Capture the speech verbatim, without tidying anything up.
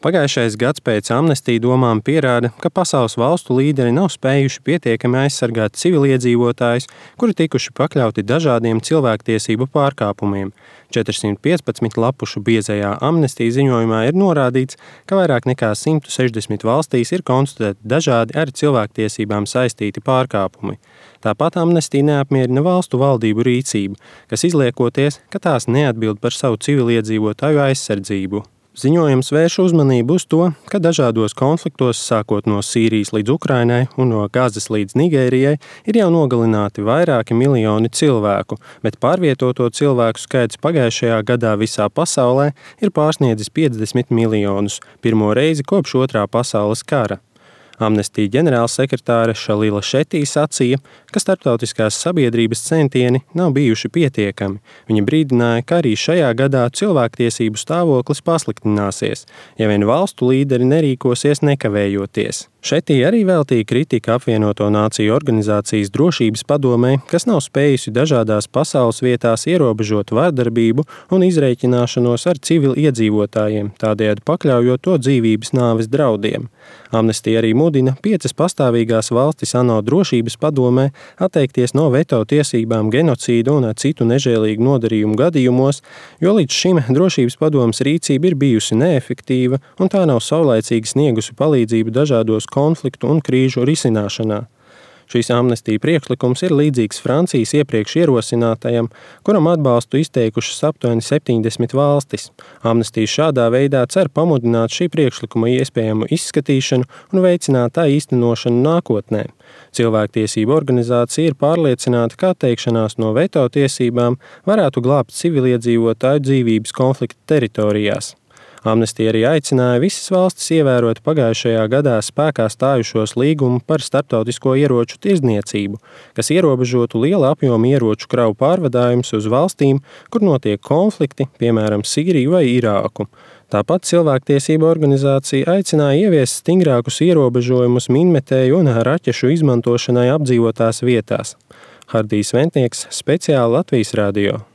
Pagājušais gads pēc amnestija domām pierāda, ka pasaules valstu līderi nav spējuši pietiekami aizsargāt civiliedzīvotājus, kuri tikuši pakļauti dažādiem cilvēktiesību pārkāpumiem. četrsimt piecpadsmit lapušu biezajā amnestija ziņojumā ir norādīts, ka vairāk nekā simt sešdesmit valstīs ir konstatēti dažādi ar cilvēktiesībām saistīti pārkāpumi. Tāpat amnestija neapmierina valstu valdību rīcību, kas izliekoties, ka tās neatbild par savu civiliedzīvotāju aizsardzību. Ziņojums vērš uzmanību uz to, ka dažādos konfliktos, sākot no Sīrijas līdz Ukrainai un no Gazas līdz Nigērijai, ir jau nogalināti vairāki miljoni cilvēku, bet pārvietoto cilvēku skaits pagājušajā gadā visā pasaulē ir pārsniedzis piecdesmit miljonus, pirmo reizi kopš otrā pasaules kara. Amnestija ģenerālsekretāre Šalila Šetī sacīja, ka starptautiskās sabiedrības centieni nav bijuši pietiekami. Viņa brīdināja, ka arī šajā gadā cilvēktiesību stāvoklis pasliktināsies, ja vien valstu līderi nerīkosies nekavējoties. Šetī arī veltīja kritika apvienoto nāciju organizācijas drošības padomei, kas nav spējusi dažādās pasaules vietās ierobežot vardarbību un izreikināšanos ar civili iedzīvotājiem, tādējādi pakļaujot to dzīvības nāves draudiem. Amnestija arī mudina piecas pastāvīgās valstis ANO drošības padomē atteikties no veto tiesībām genocīdu un citu nežēlīgu nodarījumu gadījumos, jo līdz šim drošības padomes rīcība ir bijusi neefektīva un tā nav saulaicīgi sniegusi palīdzību dažādos konfliktu un krīžu risināšanā. Šīs amnestija priekšlikums ir līdzīgs Francijas iepriekš ierosinātajam, kuram atbalstu izteikušas aptuveni septiņdesmit valstis. Amnestija šādā veidā cer pamudināt šī priekšlikuma iespējamu izskatīšanu un veicināt tā īstenošanu nākotnē. Cilvēktiesību organizācija ir pārliecināta, ka atteikšanās no veto tiesībām varētu glābt civiliedzīvotāju dzīvības konflikta teritorijās. Amnestija arī aicināja visas valstis ievērot pagājušajā gadā spēkā stājušos līgumu par starptautisko ieroču tirdzniecību, kas ierobežotu liela apjoma ieroču kravu pārvadājumus uz valstīm, kur notiek konflikti, piemēram, Sīriju vai Irāku. Tāpat cilvēktiesība organizācija aicināja ieviest stingrākus ierobežojumus minmetēju un raķešu izmantošanai apdzīvotās vietās. Hardijs Ventnieks, speciāli Latvijas radio.